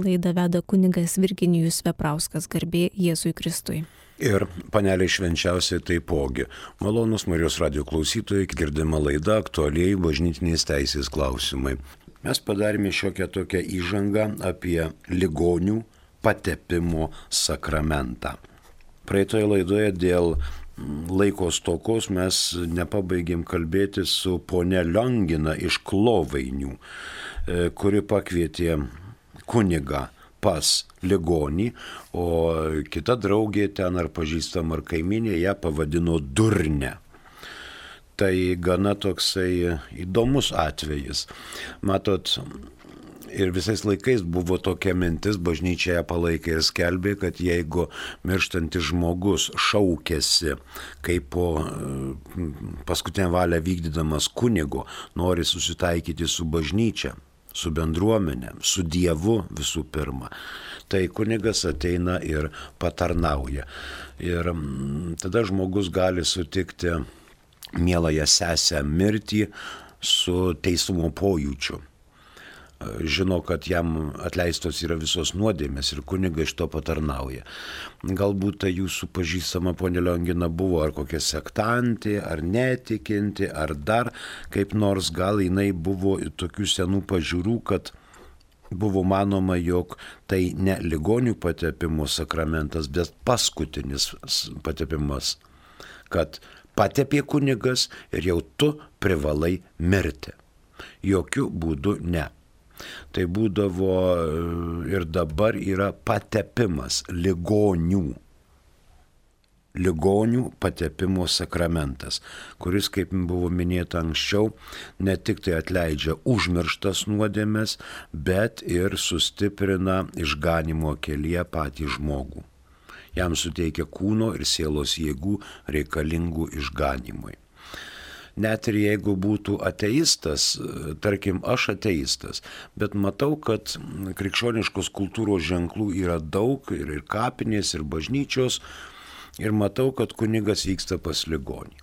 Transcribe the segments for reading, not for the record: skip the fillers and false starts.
Laidą veda kunigas Virginijus Veprauskas, garbė Jėzui Kristui. Ir paneliai švenčiausiai taipogi. Malonus Marijos radijo klausytojai, girdima laida aktualiai bažnytinės teisės klausimai. Mes padarėme šiokią tokią įžangą apie ligonių patepimo sakramentą. Praeitoje laidoje dėl laiko stokos mes nepabaigėm kalbėti su ponia Liongina iš Klovainių, kuri pakvietė kunigą pas ligonį, o kita draugė ten ar pažįstama ar kaiminė ją pavadino durne. Tai gana toksai įdomus atvejis. Matot, ir visais laikais buvo tokia mintis, bažnyčia ją palaikė ir skelbė, kad jeigu mirštantis žmogus šaukėsi, kaip po paskutinę valią vykdydamas kunigo, nori susitaikyti su bažnyčia, su bendruomenė, su Dievu visų pirma, tai kunigas ateina ir patarnauja. Ir tada žmogus gali sutikti mieląją sesę mirtį su teisumo pojūčiu. Žino, kad jam atleistos yra visos nuodėmės ir kunigas iš to patarnauja. Galbūt tai jūsų pažįstama ponia Liongina buvo ar kokia sektantė, ar netikinti, ar dar kaip nors, gal jinai buvo tokių senų pažiūrų, kad buvo manoma, jog tai ne ligonių patepimo sakramentas, bet paskutinis patepimas, kad patepė kunigas ir jau tu privalai mirti. Jokių būdų ne. Tai būdavo ir dabar yra patepimas ligonių patepimo sakramentas, kuris, kaip buvo minėta anksčiau, ne tik tai atleidžia užmirštas nuodėmes, bet ir sustiprina išganymo kelyje patį žmogų. Jam suteikia kūno ir sielos jėgų reikalingų išganymui. Net ir jeigu būtų ateistas, tarkim, aš ateistas, bet matau, kad krikščioniškos kultūros ženklų yra daug, ir kapinės, ir bažnyčios, ir matau, kad kunigas vyksta pas ligonį.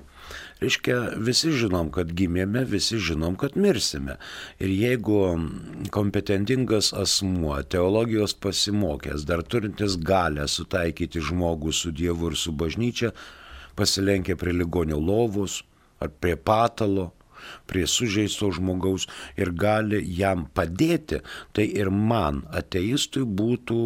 Reiškia, visi žinom, kad gimėme, visi žinom, kad mirsime. Ir jeigu kompetentingas asmuo, teologijos pasimokęs, dar turintis galę sutaikyti žmogų su Dievu ir su bažnyčia, pasilenkia prie ligonio lovos, ar prie patalo, prie sužeisto žmogaus ir gali jam padėti, tai ir man, ateistui, būtų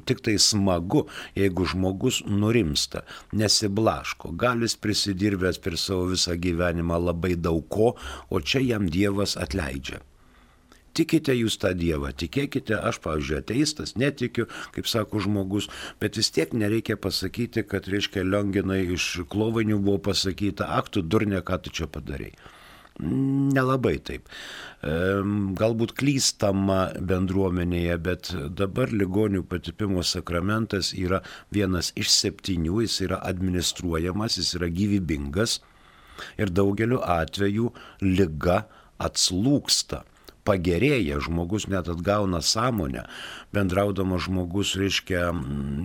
tik tai smagu, jeigu žmogus nurimsta, nesiblaško, gal jis prisidirbęs per savo visą gyvenimą labai daug ko, o čia jam Dievas atleidžia. Tikite jūs tą Dievą, tikėkite, aš, pavyzdžiui, ateistas, netikiu, kaip sako žmogus, bet vis tiek nereikia pasakyti, kad, reiškia, Lionginai iš Klovainių buvo pasakyta, ak, tu durnė, ką tu čia padarei. Nelabai taip. Galbūt klystama bendruomenėje, bet dabar ligonių patepimo sakramentas yra vienas iš 7, jis yra administruojamas, jis yra gyvybingas ir daugeliu atveju liga atslūgsta. Pagerėja, žmogus net atgauna sąmonę, bendraudamas žmogus, reiškia,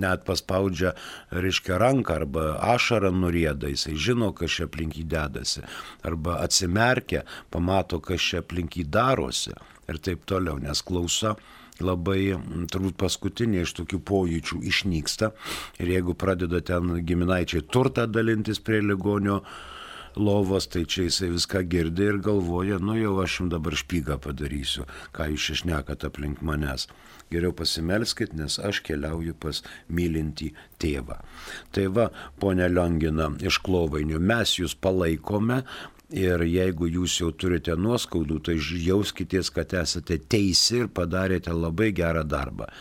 net paspaudžia, reiškia, ranką arba ašarą nurieda, jisai žino, kas čia aplink jį dedasi, arba atsimerkia, pamato, kas čia aplink jį darosi ir taip toliau, nes klausa labai, turbūt paskutinė iš tokių pojūčių išnyksta ir jeigu pradeda ten giminaičiai turtą dalintis prie ligonio lovos, tai čia jisai viską girdi ir galvoja, nu jau aš jums dabar špygą padarysiu, ką jūs šešnekat aplink manęs. Geriau pasimelskit, nes aš keliauju pas mylintį tėvą. Tai va, ponia Liongina iš Klovainių, mes jūs palaikome ir jeigu jūs jau turite nuoskaudų, tai jauskitės, kad esate teisi ir padarėte labai gerą darbą.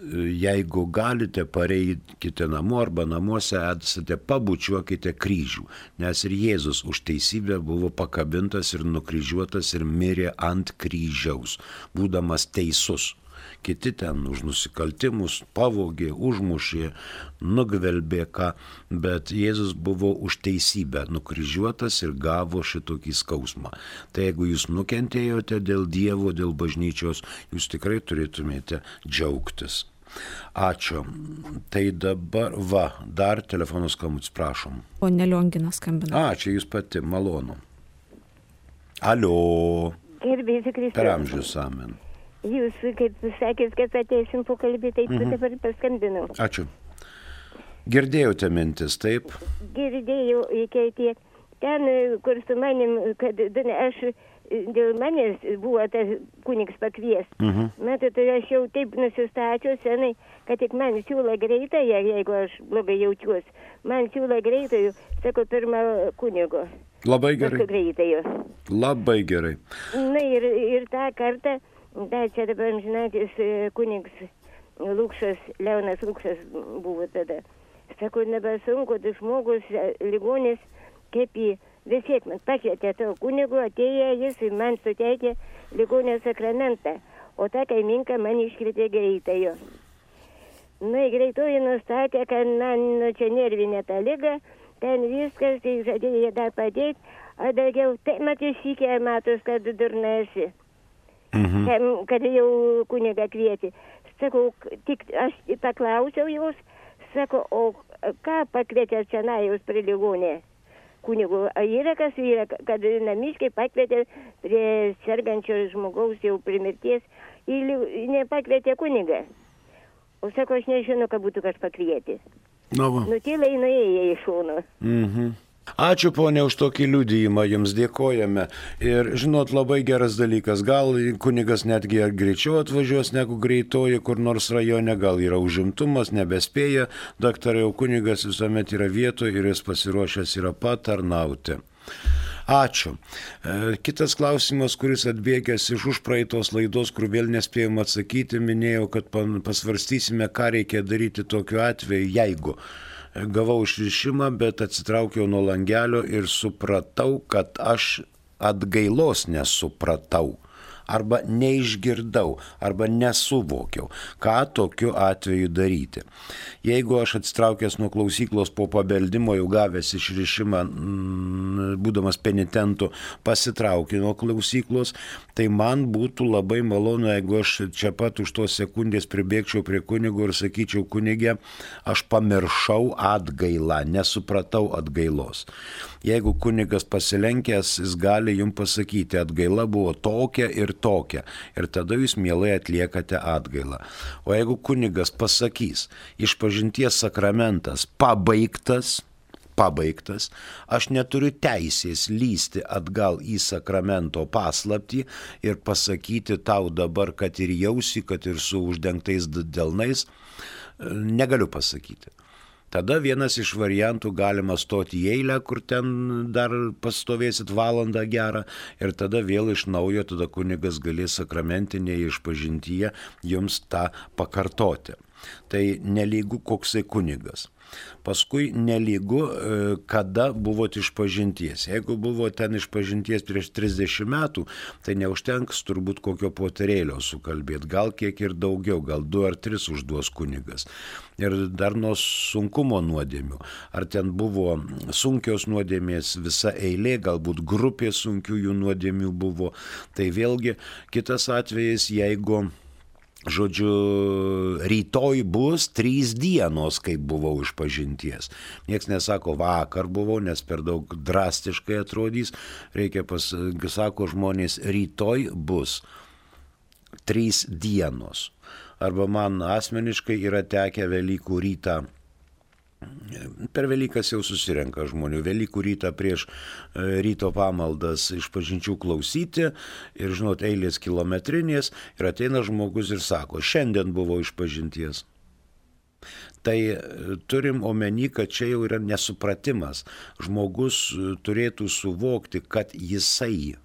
Jeigu galite, pareikite namo arba namuose esate, pabučiuokite kryžių, nes ir Jėzus už teisybę buvo pakabintas ir nukryžiuotas ir mirė ant kryžiaus, būdamas teisus. Kiti ten už nusikaltimus pavogė, užmušė, nugvelbė ką, bet Jėzus buvo už teisybę nukryžiuotas ir gavo šitokį skausmą. Tai jeigu jūs nukentėjote dėl Dievo, dėl bažnyčios, jūs tikrai turėtumėte džiaugtis. Ačiū. Tai dabar, dar telefono skambutis, prašom. Ponia Liongina skambina. Čia jūs pati, malonu. Alio. Gerbėsi Kristus. Per amžius, amen. jūs, kaip sakėt, kad ateisim pokalbį, tai dabar paskambinau. Ačiū. Girdėjote mintis, taip? Girdėjau iki tiek. Ten, kur su manim, kad aš dėl manęs buvo tas kunigs pakvies. Matot, aš jau taip nusistačiau senai, kad tik man siūlo greitąją, jeigu aš blogai jaučiuosi. Man siūlo greitąjų, sako, pirmą kunigo. Labai gerai. Greitąjų. Labai gerai. Na ir tą kartą, čia dabar amžinatis kunigs Lukšas, Leonas Lukšas buvo tada. Sako, nebesunku, tai žmogus, ligonis, kaip jį vis tiek man pakvietė to kunigo, atėjo jis ir man suteikė ligonio sakramentą, o tą kaiminką man iškvietė greitąjo. Na, greitoji nustatė, kad man čia nervinė ta liga, ten viskas, tai žadėjo dar padėti, o daugiau, tai matys įkė, matos, kad durna esi, kad jau kunigą kvietė. Sakau, tik aš paklausiau jos, sako, o ką pakvietė čia jūs prie ligonė? Kunigu, yra kas yra, kad namiškai pakvietė prie sergančio žmogaus jau prie mirties ir nepakvietė kunigą. O sako, aš nežinau, ką būtų kas pakvietė. Nutilai nuėjo į šoną. Ačiū, ponė, už tokį liudijimą, jums dėkojame. Ir, žinot, labai geras dalykas, gal kunigas netgi greičiau atvažiuos negu greitoji, kur nors rajone, gal yra užimtumas, nebespėja, daktarai, jau kunigas visuomet yra vietoje ir jis pasiruošęs yra patarnauti. Ačiū. Kitas klausimas, kuris atbėgęs iš užpraeitos laidos, kur vėl nespėjom atsakyti, minėjau, kad pasvarstysime, ką reikia daryti tokiu atveju, jeigu gavau išrišimą, bet atsitraukiau nuo langelio ir supratau, kad aš atgailos nesupratau, arba neišgirdau, arba nesuvokiau, ką tokiu atveju daryti. Jeigu aš atsitraukęs nuo klausyklos po pabeldimo, jau gavęs išrišimą, būdamas penitentu, pasitraukiu nuo klausyklos, tai man būtų labai malonu, jeigu aš čia pat už tos sekundės pribėgčiau prie kunigo ir sakyčiau, kunige, aš pamiršau atgailą, nesupratau atgailos. Jeigu kunigas pasilenkęs, jis gali jums pasakyti, atgaila buvo tokia ir tokia. Ir tada jūs mielai atliekate atgailą. O jeigu kunigas pasakys, išpažinties sakramentas pabaigtas, aš neturiu teisės lysti atgal į sakramento paslaptį ir pasakyti tau dabar, kad ir jausi, kad ir su uždengtais delnais, negaliu pasakyti. Tada vienas iš variantų galima stoti į eilę, kur ten dar pastovėsit valandą gerą ir tada vėl iš naujo, tada kunigas galės sakramentinėje išpažintyje jums tą pakartoti. Tai nelygu koksai kunigas. Paskui nelygu, kada buvot išpažinties. Jeigu buvo ten išpažinties prieš 30 metų, tai neužtenks turbūt kokio poterėlio sukalbėti. Gal kiek ir daugiau, gal 2 ar 3 užduos kunigas. Ir dar nuo sunkumo nuodėmių. Ar ten buvo sunkios nuodėmės visa eilė, galbūt grupė sunkiųjų nuodėmių buvo. Tai vėlgi kitas atvejis, jeigu žodžiu, rytoj bus 3 dienos, kaip buvau išpažinties. Niekas nesako, vakar buvau, nes per daug drastiškai atrodys. Reikia sako žmonės, rytoj bus 3 dienos. Arba man asmeniškai yra tekę Velykų rytą. Per Velykas jau susirenka žmonių. Velykų rytą prieš ryto pamaldas išpažinčių klausyti ir, žinot, eilės kilometrinės ir ateina žmogus ir sako, šiandien buvo išpažinties. Tai turim omeny, kad čia jau yra nesupratimas. Žmogus turėtų suvokti, kad jisai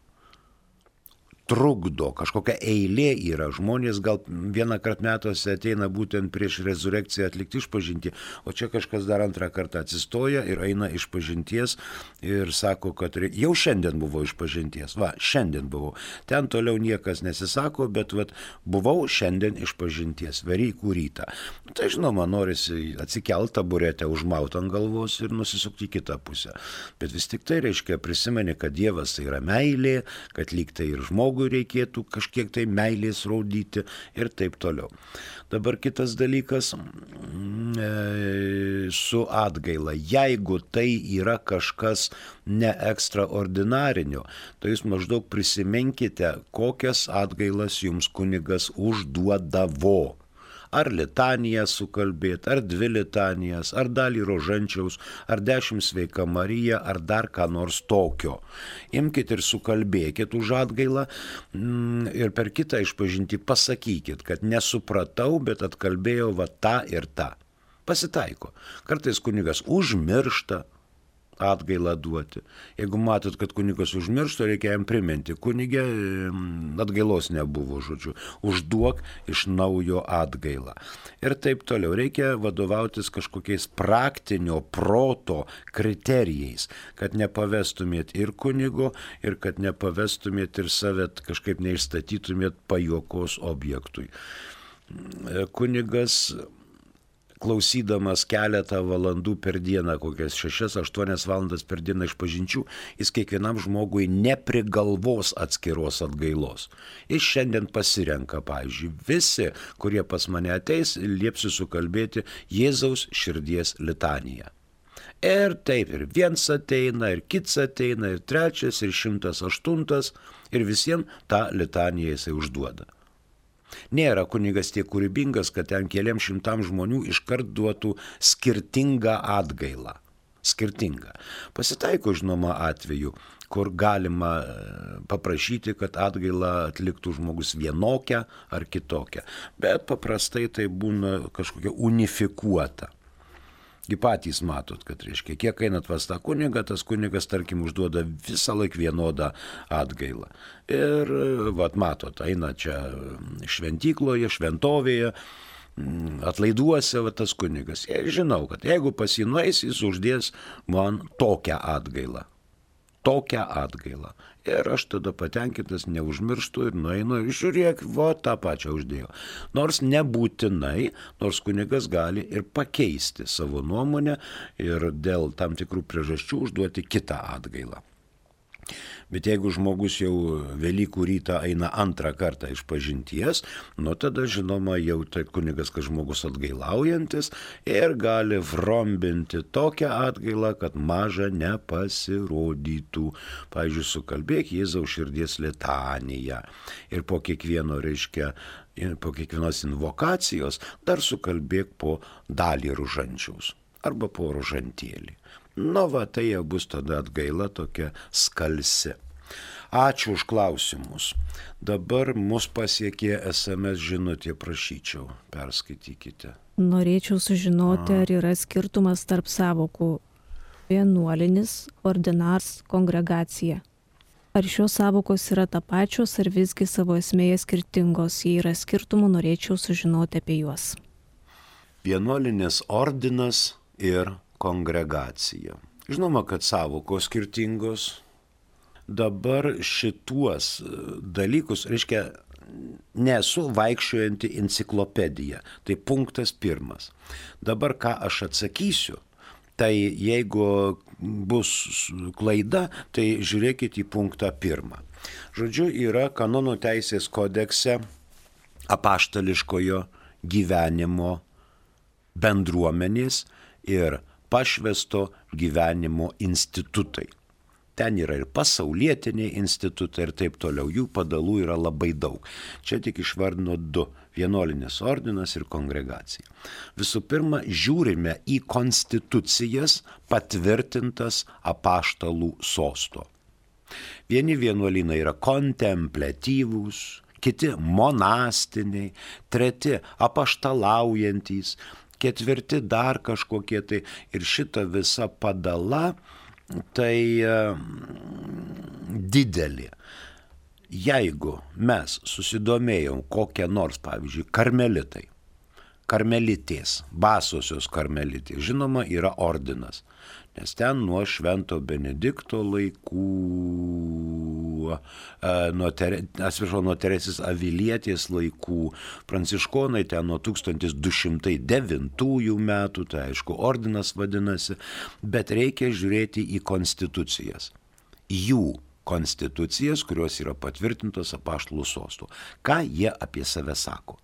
trukdo, kažkokia eilė yra. Žmonės gal vieną kartą metuose ateina būtent prieš rezurekciją atlikti išpažintį, o čia kažkas dar antrą kartą atsistoja ir eina išpažinties ir sako, kad jau šiandien buvo išpažinties. Va, šiandien buvau. Ten toliau niekas nesisako, bet buvau šiandien išpažinties, Velykų rytą. Tai žinoma, norisi atsikelti taburetę, užmauti ant galvos ir nusisukti į kitą pusę. Bet vis tik tai reiškia prisimeni, kad Dievas tai yra meilė, kad lyg tai ir žmogus žmogui reikėtų kažkiek tai meilės rodyti ir taip toliau. Dabar kitas dalykas su atgaila. Jeigu tai yra kažkas ne ekstraordinarinio, tai jūs maždaug prisiminkite, kokias atgailas jums kunigas užduodavo. Ar litaniją sukalbėti, ar 2 litanijas, ar dalį rožančiaus, ar 10 sveika Marija, ar dar ką nors tokio. Imkite ir sukalbėkit už atgailą ir per kitą išpažintį pasakykit, kad nesupratau, bet atkalbėjau va tą ir tą. Pasitaiko. Kartais kunigas užmiršta atgailą duoti. Jeigu matot, kad kunigas užmiršta, reikia jam priminti. Kunigė atgailos nebuvo, žodžiu. Užduok iš naujo atgailą. Ir taip toliau. Reikia vadovautis kažkokiais praktinio proto kriterijais, kad nepavestumėt ir kunigo, ir kad nepavestumėt ir save kažkaip neišstatytumėt pajuokos objektui. Kunigas, klausydamas keletą valandų per dieną, kokias 6-8 valandas per dieną išpažinčių, jis kiekvienam žmogui neprigalvos atskiros atgailos. Jis šiandien pasirenka, pavyzdžiui, visi, kurie pas mane ateis, liepsiu sukalbėti Jėzaus širdies litaniją. Ir taip, ir viens ateina, ir kits ateina, ir 3, ir 108, ir visiems tą litaniją jisai užduoda. Nėra kunigas tiek kūrybingas, kad ten keliams 100 žmonių iškart duotų skirtingą atgailą. Skirtingą. Pasitaiko, žinoma, atveju, kur galima paprašyti, kad atgailą atliktų žmogus vienokią ar kitokią. Bet paprastai tai būna kažkokia unifikuota. Gi patys matot, kad reiškia, kiek einat pas tą kunigą, tas kunigas, tarkim, užduoda visą laiką vienodą atgailą. Ir, matot, eina čia šventykloje, šventovėje, atlaiduose, tas kunigas. Žinau, kad jeigu pas jį nueis, jis uždės man tokią atgailą. Tokią atgailą. Ir aš tada patenkintas neužmirštu ir nueinu ir žiūrėk, tą pačią uždėjau. Nors nebūtinai, nors kunigas gali ir pakeisti savo nuomonę ir dėl tam tikrų priežasčių užduoti kitą atgailą. Bet jeigu žmogus jau Velykų rytą eina 2 kartą išpažinties, tada žinoma jau tai kunigas, kad žmogus atgailaujantis ir gali vrombinti tokią atgailą, kad maža nepasirodytų. Pavyzdžiui, sukalbėk Jėzaus širdies litaniją ir po kiekvieno, po kiekvienos invokacijos dar sukalbėk po dalį rožančiaus arba po rožantėlį. Tai jau bus tada atgaila tokia skalsi. Ačiū už klausimus. Dabar mus pasiekė SMS žinutė, prašyčiau, perskaitykite. Norėčiau sužinoti, ar yra skirtumas tarp sąvokų vienuolinis, ordinars, kongregacija. Ar šios sąvokos yra tapačios, ar visgi savo esmėje skirtingos? Jei yra skirtumų, norėčiau sužinoti apie juos. Vienuolinis ordinas ir kongregacija. Žinoma, kad sąvokos skirtingos. Dabar šituos dalykus, nesu vaikščiojanti enciklopedija. Tai punktas 1. Dabar ką aš atsakysiu, tai jeigu bus klaida, tai žiūrėkit į punktą 1. Žodžiu, yra kanonų teisės kodekse apaštališkojo gyvenimo bendruomenės ir pašvęsto gyvenimo institutai. Ten yra ir pasaulietiniai institutai ir taip toliau. Jų padalų yra labai daug. Čia tik išvardino 2. Vienuolinis ordinas ir kongregacija. Visų pirma, žiūrime į konstitucijas patvirtintas apaštalų sosto. Vieni vienuolynai yra kontempliatyvūs, kiti monastiniai, 3 apaštalaujantys, 4 dar kažkokie tai. Ir šita visa padala tai didelė. Jeigu mes susidomėjom kokią nors, pavyzdžiui, karmelitai, karmelitės, basosios karmelitės, žinoma, yra ordinas, nes ten nuo Švento Benedikto laikų, nuo Teresės Avilietės laikų, pranciškonai ten nuo 1209 metų, tai aišku, ordinas vadinasi, bet reikia žiūrėti į konstitucijas. Jų konstitucijas, kurios yra patvirtintos apaštalų sostų. Ką jie apie save sako?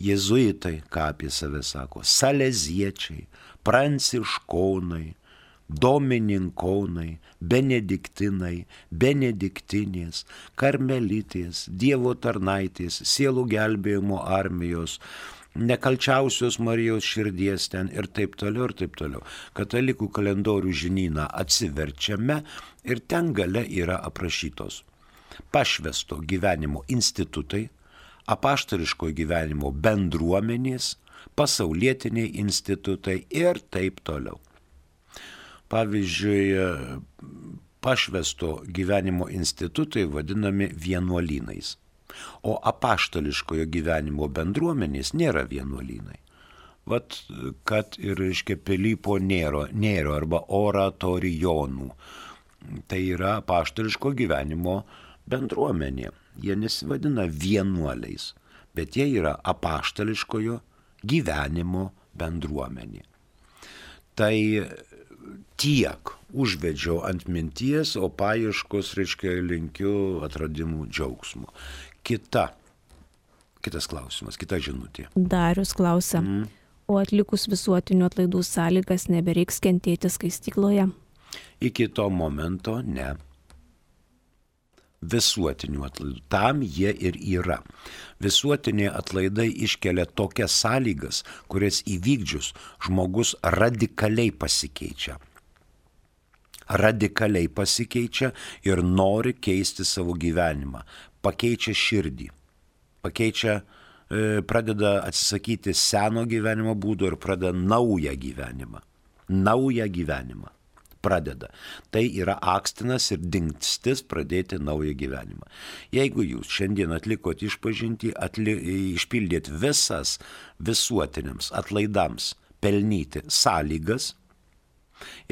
Jėzuitai, ką apie save sako? Saleziečiai, pranciškonai, domininkonai, benediktinai, benediktinės, karmelitės, Dievo tarnaitės, sielų gelbėjimo armijos, nekalčiausios Marijos širdies ten ir taip toliau ir taip toliau. Katalikų kalendorių žinyną atsiverčiame ir ten gale yra aprašytos pašvęsto gyvenimo institutai, apaštališko gyvenimo bendruomenės, pasaulietiniai institutai ir taip toliau. Pavyzdžiui, pašvęsto gyvenimo institutai vadinami vienuolynais, o apaštališkojo gyvenimo bendruomenės nėra vienuolynai. Vat, kad ir, reiškia, Pilypo Nėro arba oratorijonų. Tai yra apaštališko gyvenimo bendruomenė. Jie nesivadina vienuoliais, bet jie yra apaštališkojo gyvenimo bendruomenė. Tai tiek užvedžiau ant minties, o paieškos, reiškia, linkiu atradimų džiaugsmo. Kitas klausimas, kita žinutė. Darius klausia, o atlikus visuotinių atlaidų sąlygas nebereiks kentėti skaistykloje? Iki to momento ne. Visuotinių atlaidų. Tam jie ir yra. Visuotiniai atlaidai iškelia tokias sąlygas, kurias įvykdžius žmogus radikaliai pasikeičia. Radikaliai pasikeičia ir nori keisti savo gyvenimą. Pakeičia širdį. Pradeda atsisakyti seno gyvenimo būdo ir pradeda naują gyvenimą. Pradeda. Tai yra akstinas ir dingstis pradėti naują gyvenimą. Jeigu jūs šiandien atlikot išpažintį, išpildėt visas visuotiniams atlaidams pelnyti sąlygas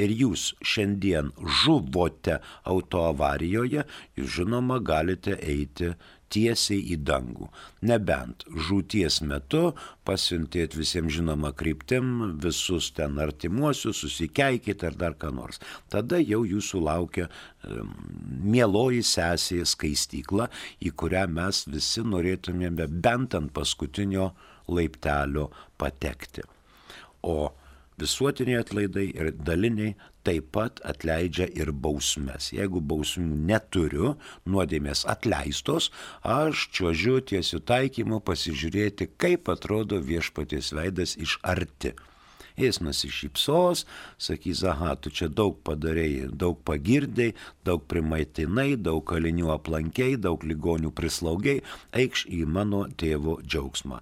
ir jūs šiandien žuvote autoavarijoje, jūs žinoma galite eiti tiesiai į dangų. Nebent žūties metu pasiuntėt visiems žinoma kryptim, visus ten artimuosius, susikeikit ar dar ką nors. Tada jau jūsų laukia mieloji sesė skaistykla, į kurią mes visi norėtumėme bent ant paskutinio laiptelio patekti. O visuotiniai atlaidai ir daliniai taip pat atleidžia ir bausmes. Jeigu bausmių neturiu, nuodėmės atleistos, aš čiuožiu tiesiu taikymu pasižiūrėti, kaip atrodo viešpaties veidas iš arti. Jis nusišypsos, sakys, aha, tu čia daug padarėjai, daug pagirdai, daug primaitinai, daug kalinių aplankei, daug ligonių prislaugiai, eikš į mano tėvo džiaugsmą.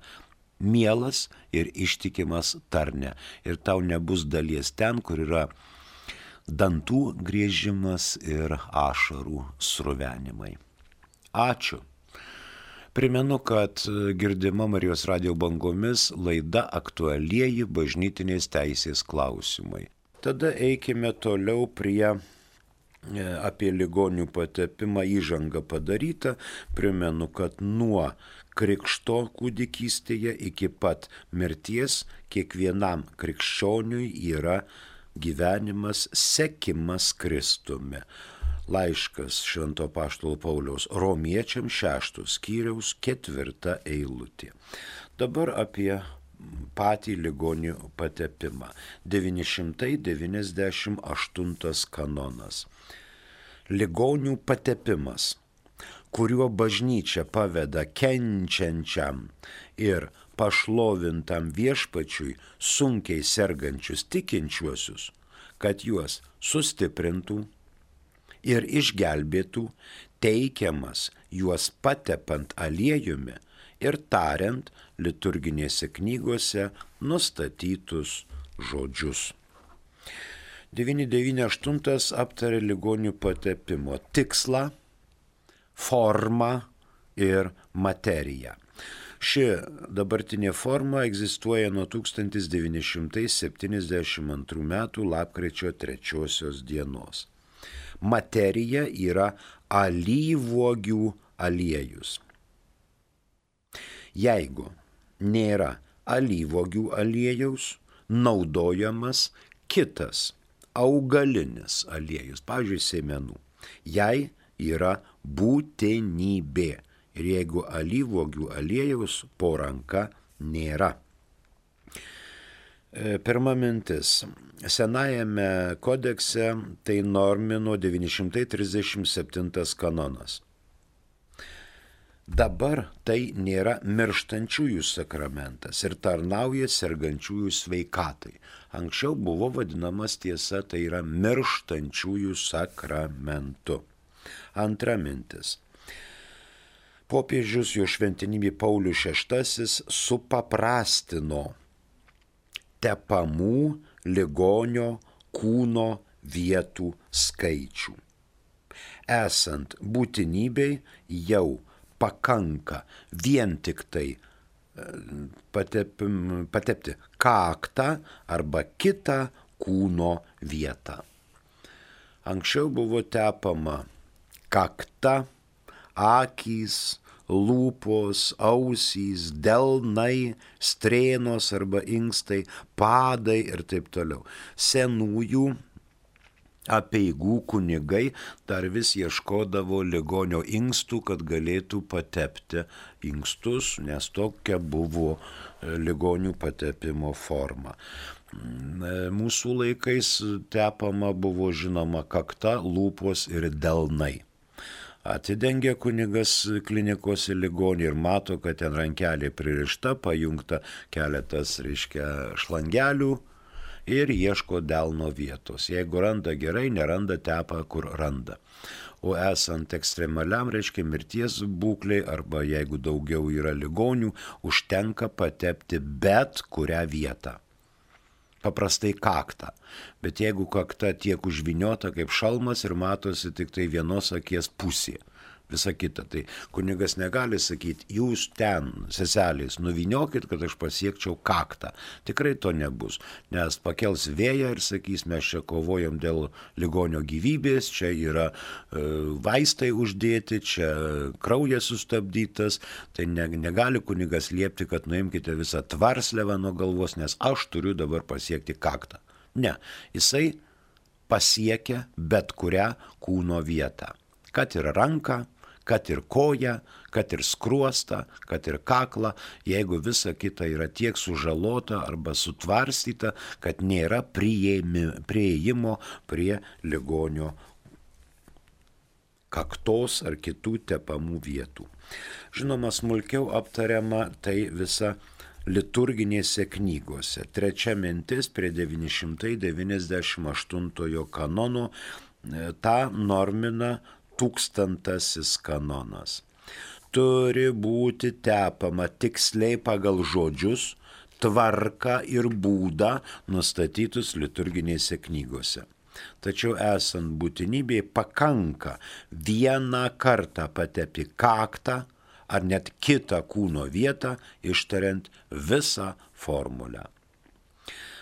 Mielas ir ištikimas tarne. Ir tau nebus dalies ten, kur yra dantų griežimas ir ašarų sruvenimai. Ačiū. Primenu, kad girdima Marijos radijo bangomis laida aktualieji bažnytinės teisės klausimai. Tada eikime toliau prie apie ligonių patepimą įžanga padaryta. Primenu, kad nuo krikšto kūdikystėje iki pat mirties kiekvienam krikščioniui yra gyvenimas sekimas Kristumi. Laiškas Švento apaštalo Pauliaus Romiečiams 6 skyriaus 4 eilutė. Dabar apie patį ligonių patepimą. 998 kanonas. Ligonių patepimas, kuriuo bažnyčia paveda kenčiančiam ir pašlovintam viešpačiui sunkiai sergančius tikinčiuosius, kad juos sustiprintų ir išgelbėtų, teikiamas juos patepant aliejumi ir tariant liturginėse knygose nustatytus žodžius. 998 aptarė ligonių patepimo tikslą, formą ir materiją. Ši dabartinė forma egzistuoja nuo 1972 metų lapkričio 3 dienos. Materija yra alyvuogių aliejus. Jeigu nėra alyvuogių aliejaus, naudojamas kitas augalinis aliejus, pavyzdžiui, sėmenų. Jei yra būtinybė. Ir jeigu alyvuogių aliejaus po ranka nėra. Pirma mintis. Senajame kodekse tai normino 937 kanonas. Dabar tai nėra mirštančiųjų sakramentas ir tarnauja sergančiųjų sveikatai. Anksčiau buvo vadinamas tiesa, tai yra mirštančiųjų sakramentu. Antra mintis. Popiežius jo šventenybė Paulius VI supaprastino tepamų ligonio kūno vietų skaičių. Esant būtinybei jau pakanka vien tik tai patepti kaktą arba kitą kūno vietą. Anksčiau buvo tepama kakta, akys, lūpos, ausys, delnai, strėnos arba inkstai, padai ir taip toliau. Senųjų apeigų kunigai dar vis ieškodavo ligonio inkstų, kad galėtų patepti inkstus, nes tokia buvo ligonių patepimo forma. Mūsų laikais tepama buvo žinoma kakta, lūpos ir delnai. Atidengia kunigas klinikose ligonį ir mato, kad ten rankelė pririšta, pajungta keletas, šlangelių ir ieško delno vietos. Jeigu randa gerai, neranda tepa, kur randa. O esant ekstremaliam, mirties būklei arba jeigu daugiau yra ligonių, užtenka patepti bet kurią vietą. Paprastai kaktą. Bet jeigu kakta tiek užviniota kaip šalmas ir matosi tik tai vienos akies pusė, visa kita, tai kunigas negali sakyti, jūs ten, seselės, nuviniokit, kad aš pasiekčiau kaktą. Tikrai to nebus, nes pakels vėją ir sakys, mes čia kovojam dėl ligonio gyvybės, čia yra vaistai uždėti, čia kraujas sustabdytas, tai negali kunigas liepti, kad nuimkite visą tvarslevą nuo galvos, nes aš turiu dabar pasiekti kaktą. Ne, jisai pasiekia bet kurią kūno vietą. Kad ir ranką, kad ir koją, kad ir skruostą, kad ir kaklą, jeigu visa kita yra tiek sužalota arba sutvarstyta, kad nėra prieėjimo prie ligonio kaktos ar kitų tepamų vietų. Žinoma, smulkiau aptariama tai visa liturginėse knygose. Trečia mintis prie 998 kanono tą normina 1000 kanonas. Turi būti tepama tiksliai pagal žodžius, tvarką ir būdą nustatytus liturginėse knygose. Tačiau esant būtinybėje pakanka vieną kartą patepti kaktą ar net kitą kūno vietą, ištariant visą formulę.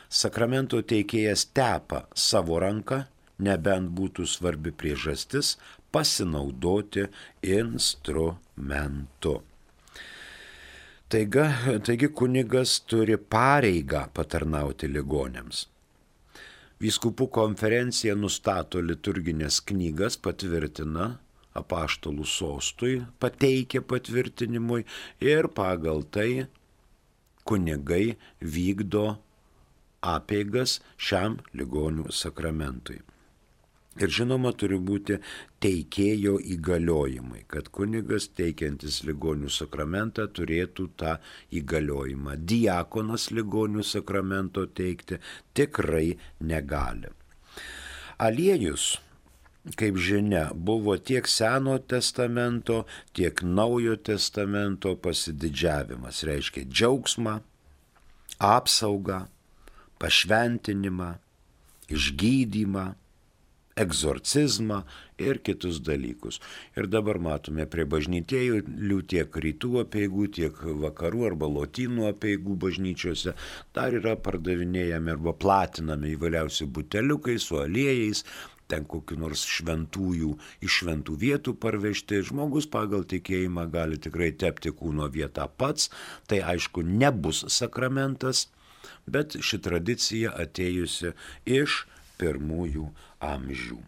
Sakramento teikėjas tepa savo ranką, nebent būtų svarbi priežastis pasinaudoti instrumentu. Taigi kunigas turi pareigą patarnauti ligoniams. Vyskupų konferencija nustato liturginės knygas, patvirtina apaštalų sostui, pateikia patvirtinimui ir pagal tai kunigai vykdo apeigas šiam ligonių sakramentui. Ir žinoma, turi būti teikėjo įgaliojimai, kad kunigas teikiantis ligonių sakramentą turėtų tą įgaliojimą. Diakonas ligonių sakramento teikti tikrai negali. Aliejus, kaip žinia, buvo tiek Seno testamento, tiek Naujo testamento pasididžiavimas, reiškia džiaugsmą, apsaugą, pašventinimą, išgydymą, egzorcizmą ir kitus dalykus. Ir dabar matome prie bažnytėlių tiek rytų apeigų, tiek vakarų arba lotynų apeigų bažnyčiose dar yra pardavinėjami arba platinami įvairiausi buteliukai su aliejais, ten kokiu nors šventųjų iš šventų vietų parvežti. Žmogus pagal tikėjimą gali tikrai tepti kūno vietą pats, tai aišku nebus sakramentas, bet ši tradicija atėjusi iš pirmųjų amžių.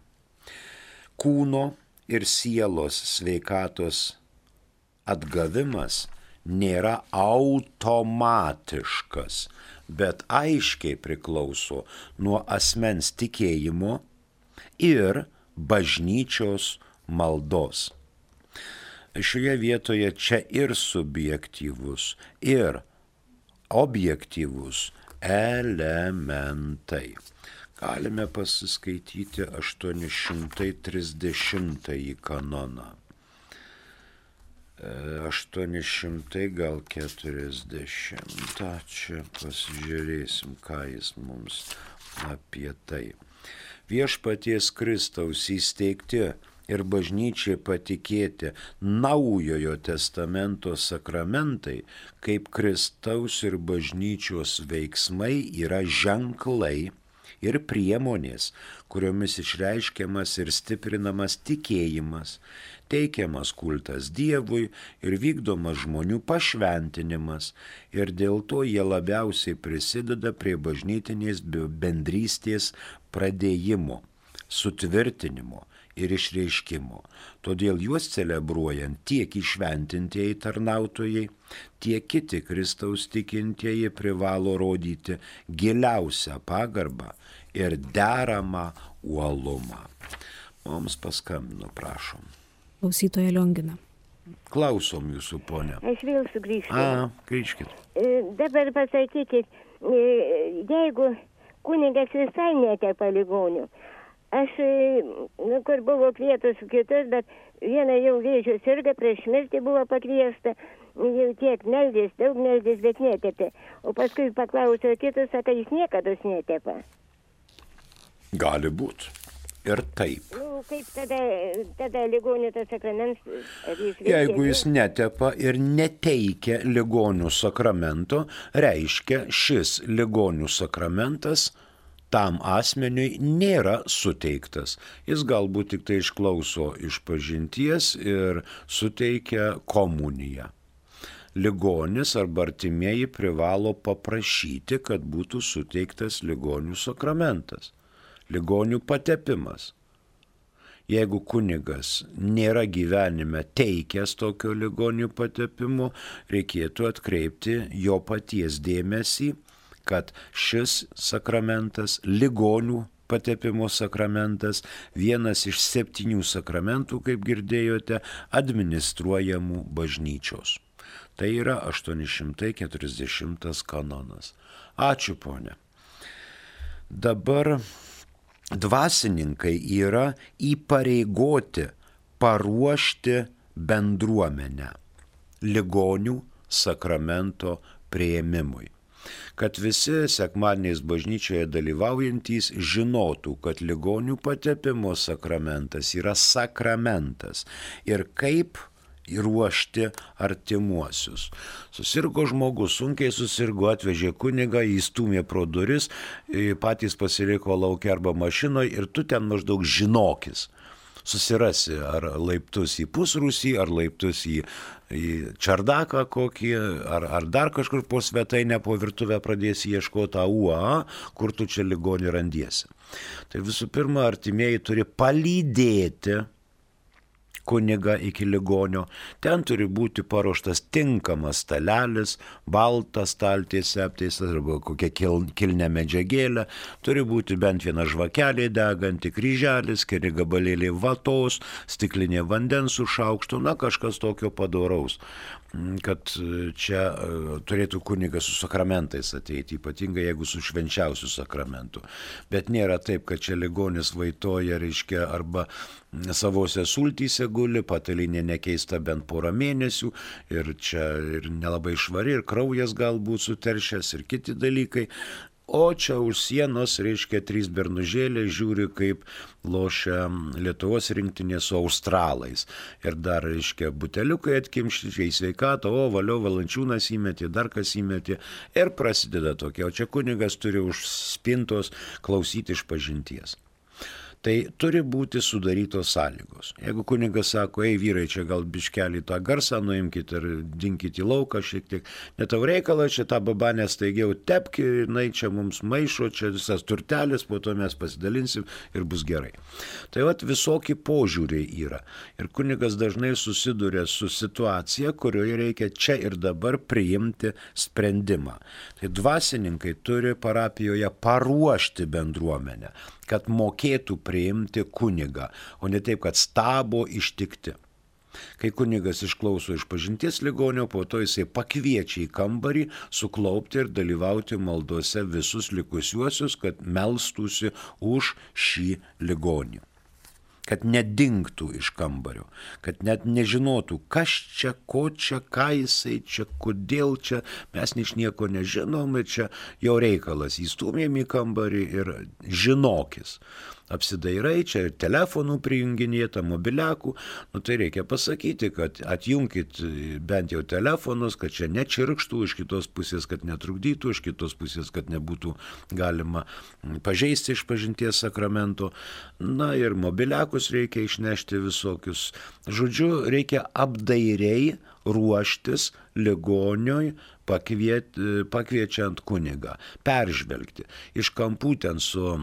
Kūno ir sielos sveikatos atgavimas nėra automatiškas, bet aiškiai priklauso nuo asmens tikėjimo ir bažnyčios maldos. Šioje vietoje čia ir subjektyvus, ir objektyvus elementai. Galime pasiskaityti 830 kanoną. 800 gal 40. Čia pasižiūrėsim, ką jis mums apie tai. Viešpaties Kristaus įsteigti ir bažnyčiai patikėti Naujojo testamento sakramentai, kaip Kristaus ir bažnyčios veiksmai yra ženklai ir priemonės, kuriomis išreiškiamas ir stiprinamas tikėjimas, teikiamas kultas Dievui ir vykdomas žmonių pašventinimas, ir dėl to jie labiausiai prisideda prie bažnytinės bendrystės pradėjimo, sutvirtinimo ir išreiškimo. Todėl juos celebruojant tiek įšventintieji tarnautojai, tiek kiti Kristaus tikintieji privalo rodyti giliausią pagarbą ir deramą uolumą. Mums paskambino, prašom. Klausytoja Liongina. Klausom jūsų, ponia. Aš vėl sugrįžtu. Grįžkit. Dabar pasakykit, jeigu kunigas visai netepa ligonių, aš, kur buvo kvietus kitus, bet viena jau vėžio sirga, prieš mirtį buvo pakviesta, jau tiek meldės, daug meldės, bet netepė. O paskui paklausiau kitus, sako, jis niekada netepa. Gali būti. Ir taip. Kaip tada ligonių tas sakraments? Jeigu jis netepa ir neteikia ligonių sakramento, reiškia, šis ligonių sakramentas tam asmeniui nėra suteiktas. Jis galbūt tik tai išklauso išpažinties ir suteikia komuniją. Ligonis arba artimieji privalo paprašyti, kad būtų suteiktas ligonių sakramentas, ligonių patepimas. Jeigu kunigas nėra gyvenime teikęs tokio ligonių patepimo, reikėtų atkreipti jo paties dėmesį, kad šis sakramentas, ligonių patepimo sakramentas, vienas iš 7 sakramentų, kaip girdėjote, administruojamų bažnyčios. Tai yra 840 kanonas. Ačiū, ponia. Dabar dvasininkai yra įpareigoti paruošti bendruomenę ligonių sakramento priėmimui. Kad visi sekmadieniais bažnyčioje dalyvaujantys žinotų, kad ligonių patepimo sakramentas yra sakramentas ir kaip ruošti artimuosius. Susirgo žmogus, sunkiai susirgo, atvežė kunigą, įstūmė pro duris, patys pasiliko laukia arba mašinoje ir tu ten maždaug žinokis. Susirasi ar laiptus į pusrūsį, ar laiptus į čardaką kokį, ar dar kažkur po svetainę, po virtuvę pradėsi ieškoti UA, kur tu čia ligonį randiesi. Tai visų pirma, artimieji turi palydėti kunigą iki ligonio. Ten turi būti paruoštas tinkamas stalelis, baltas staltiesė apteistas arba kokia kilnė medžiagėlė. Turi būti bent viena žvakelė deganti, kryželis, keli gabalėliai vatos, stiklinė vandens su šaukštu, kažkas tokio padoraus, kad čia turėtų kunigas su sakramentais ateiti, ypatingai jeigu su švenčiausiu sakramentu. Bet nėra taip, kad čia ligonis vaitoja, reiškia, arba savose sultyse guli, patalinė nekeista bent porą mėnesių ir čia ir nelabai švari, ir kraujas galbūt suteršęs ir kiti dalykai. O čia už sienos, reiškia, 3 bernužėliai žiūri, kaip lošia Lietuvos rinktinė su australais. Ir dar, reiškia, buteliukai atkimšti, čia į sveikatą, valio Valančiūnas įmetė, dar kas įmetė. Ir prasideda tokia. O čia kunigas turi už spintos klausyti išpažinties. Tai turi būti sudarytos sąlygos. Jeigu kunigas sako, ei vyrai, čia gal biškelį tą garsą nuimkit ir dinkit į lauką šiek tiek, net tau reikala, čia tą babanę staigiau tepki, jinai čia mums maišo, čia visas turtelis, po to mes pasidalinsim ir bus gerai. Tai vat visokie požiūriai yra. Ir kunigas dažnai susiduria su situacija, kurioje reikia čia ir dabar priimti sprendimą. Tai dvasininkai turi parapijoje paruošti bendruomenę, kad mokėtų priimti kunigą, o ne taip, kad stabo ištikti. Kai kunigas išklauso išpažinties ligonio, po to jisai pakviečia į kambarį suklaupti ir dalyvauti maldose visus likusiuosius, kad melstųsi už šį ligonį. Kad nedingtų iš kambario, kad net nežinotų, kas čia, ko čia, ką jisai čia, kodėl čia, mes nieko nežinom ir čia jau reikalas, įstumėm į kambarį ir žinokis. Apsidairai, čia ir telefonų prijunginėta, mobiliakų, tai reikia pasakyti, kad atjunkit bent jau telefonus, kad čia nečirkštų, iš kitos pusės, kad netrukdytų, iš kitos pusės, kad nebūtų galima pažeisti išpažinties sakramento. Na ir mobiliakus reikia išnešti visokius. Žodžiu, reikia apdairiai ruoštis ligoniui, pakviečiant kunigą, peržvelgti. Iš kampų ten su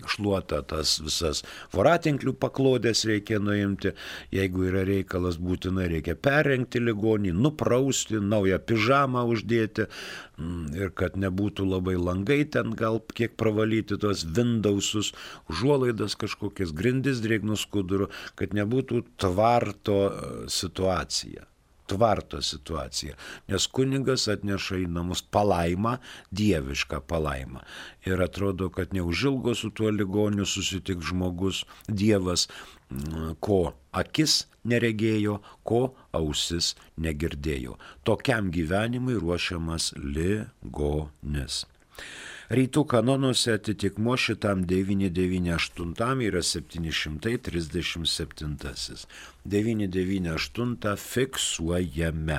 šluota tas visas voratinklių paklodės reikia nuimti, jeigu yra reikalas būtinai reikia perrengti ligonį, nuprausti, naują pižamą uždėti ir kad nebūtų labai langai ten gal kiek pravalyti tos windowsus, užuolaidas kažkokias, grindis drėgnų skudurų, kad nebūtų tvarto situacija. Nes kunigas atneša į namus palaimą, dievišką palaimą. Ir atrodo, kad neužilgo su tuo ligoniu susitiks žmogus, Dievas, ko akis neregėjo, ko ausis negirdėjo. Tokiam gyvenimui ruošiamas ligonis. Rytų kanonuose atitikmuo šitam 998 yra 737. 998 fiksuojame.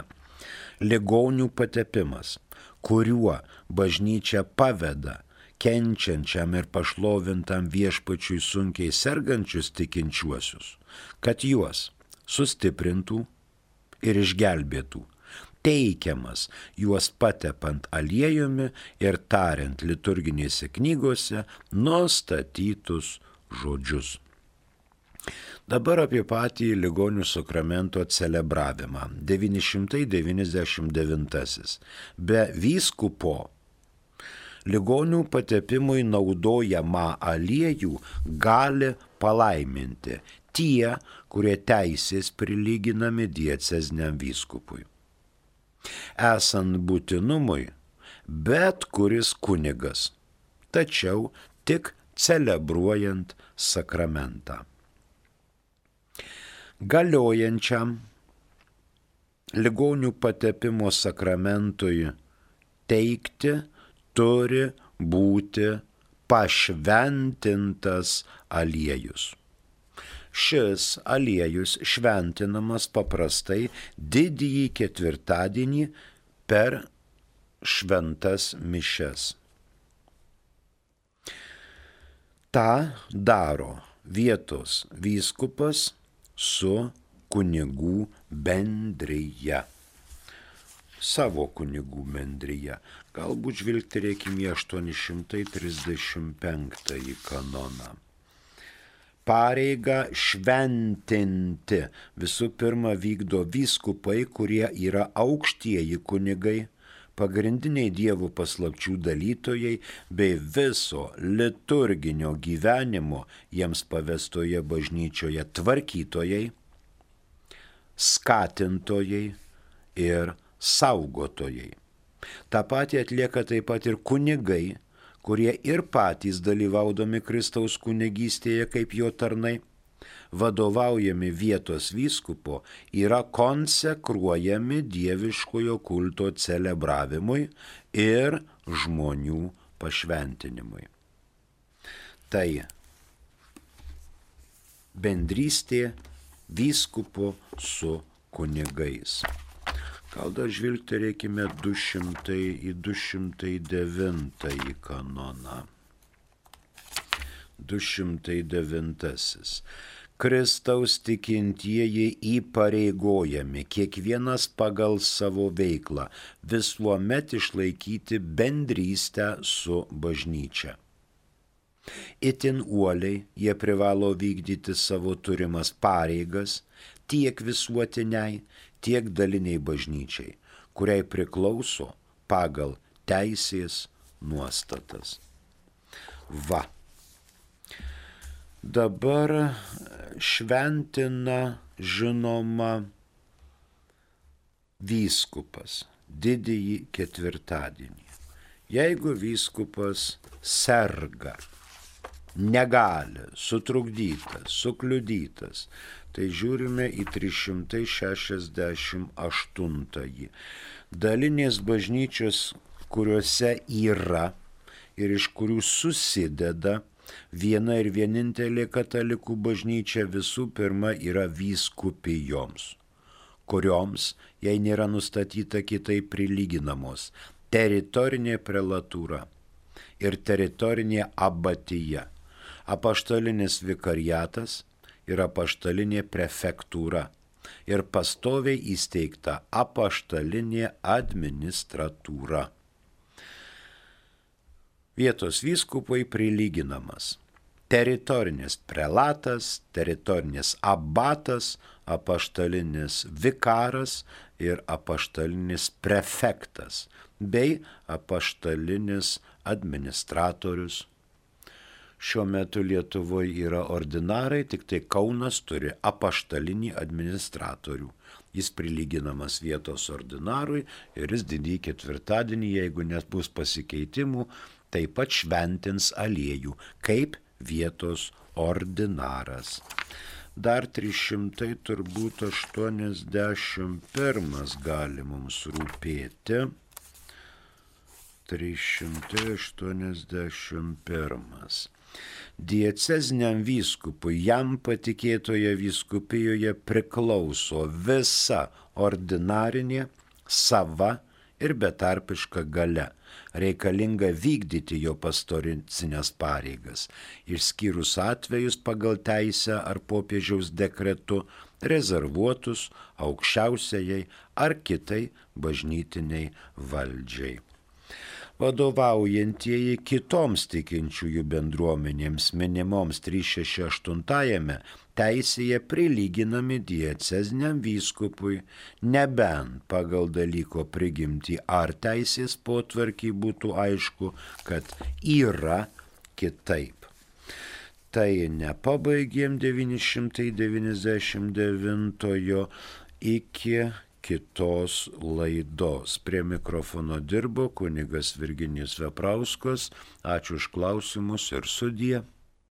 Ligonių patepimas, kuriuo bažnyčia paveda kenčiančiam ir pašlovintam viešpačiui sunkiai sergančius tikinčiuosius, kad juos sustiprintų ir išgelbėtų. Teikiamas juos patepant aliejumi ir tariant liturginėse knygose nustatytus žodžius. Dabar apie patį ligonių sakramento celebravimą. 999. Be vyskupo ligonių patepimui naudojamą aliejų gali palaiminti tie, kurie teisės prilyginami dieceziniam vyskupui. Esant būtinumui, bet kuris kunigas, tačiau tik celebruojant sakramentą. Galiojančiam ligonių patepimo sakramentui teikti turi būti pašventintas aliejus. Šis aliejus šventinamas paprastai didįjį ketvirtadienį per šventas mišias. Ta daro vietos vyskupas su kunigų bendrija. Savo kunigų bendrija. Galbūt žvilgterėkime į 835 kanoną. Pareigą šventinti visų pirma vykdo vyskupai, kurie yra aukštieji kunigai, pagrindiniai dievų paslapčių dalytojai bei viso liturginio gyvenimo jiems pavestoje bažnyčioje tvarkytojai, skatintojai ir saugotojai. Ta pati atlieka taip pat ir kunigai, kurie ir patys dalyvaudami Kristaus kunigystėje kaip jo tarnai, vadovaujami vietos vyskupo, yra konsekruojami dieviškojo kulto celebravimui ir žmonių pašventinimui. Tai bendrystė vyskupo su kunigais. Gal dar žvilgterėkime 209 kanoną. 209. Kristaus tikintieji įpareigojami kiekvienas pagal savo veiklą visuomet išlaikyti bendrystę su bažnyčia. Itin uoliai jie privalo vykdyti savo turimas pareigas tiek visuotiniai, tiek daliniai bažnyčiai, kuriai priklauso pagal teisės nuostatas. Va. Dabar šventina žinoma vyskupas didįjį ketvirtadienį. Jeigu vyskupas serga, negali, sutrukdytas, sukliudytas, tai žiūrime į 368. Dalinės bažnyčios, kuriuose yra ir iš kurių susideda viena ir vienintelė katalikų bažnyčia, visų pirma yra vyskupijoms, kurioms, jei nėra nustatyta kitaip prilyginamos, teritorinė prelatūra ir teritorinė abatija, apaštalinis vikariatas ir apaštalinė prefektūra ir pastoviai įsteigta apaštalinė administratūra. Vietos vyskupui prilyginamas teritorinis prelatas, teritorinis abatas, apaštalinis vikaras ir apaštalinis prefektas bei apaštalinis administratorius. Šiuo metu Lietuvoje yra ordinarai, tik tai Kaunas turi apaštalinį administratorių. Jis prilyginamas vietos ordinarui ir jis didįjį ketvirtadienį, jeigu net bus pasikeitimų, taip pat šventins aliejų kaip vietos ordinaras. Dar 381 gali mums rūpėti. 381. Dieceziniam vyskupui jam patikėtoje vyskupijoje priklauso visa ordinarinė, sava ir betarpiška galia, reikalinga vykdyti jo pastorinės pareigas, išskyrus atvejus pagal teisę ar popiežiaus dekretu rezervuotus aukščiausiajai ar kitai bažnytiniai valdžiai. Vadovaujantieji kitoms tikinčiųjų bendruomenėms minimoms 368 teisėje prilyginami dieceziniam vyskupui, nebent pagal dalyko prigimtį ar teisės potvarkį būtų aišku, kad yra kitaip. Tai nepabaigėm 999 iki kitos laidos. Prie mikrofono dirbo kunigas Virginijus Veprauskas. Ačiū už klausimus ir sudie.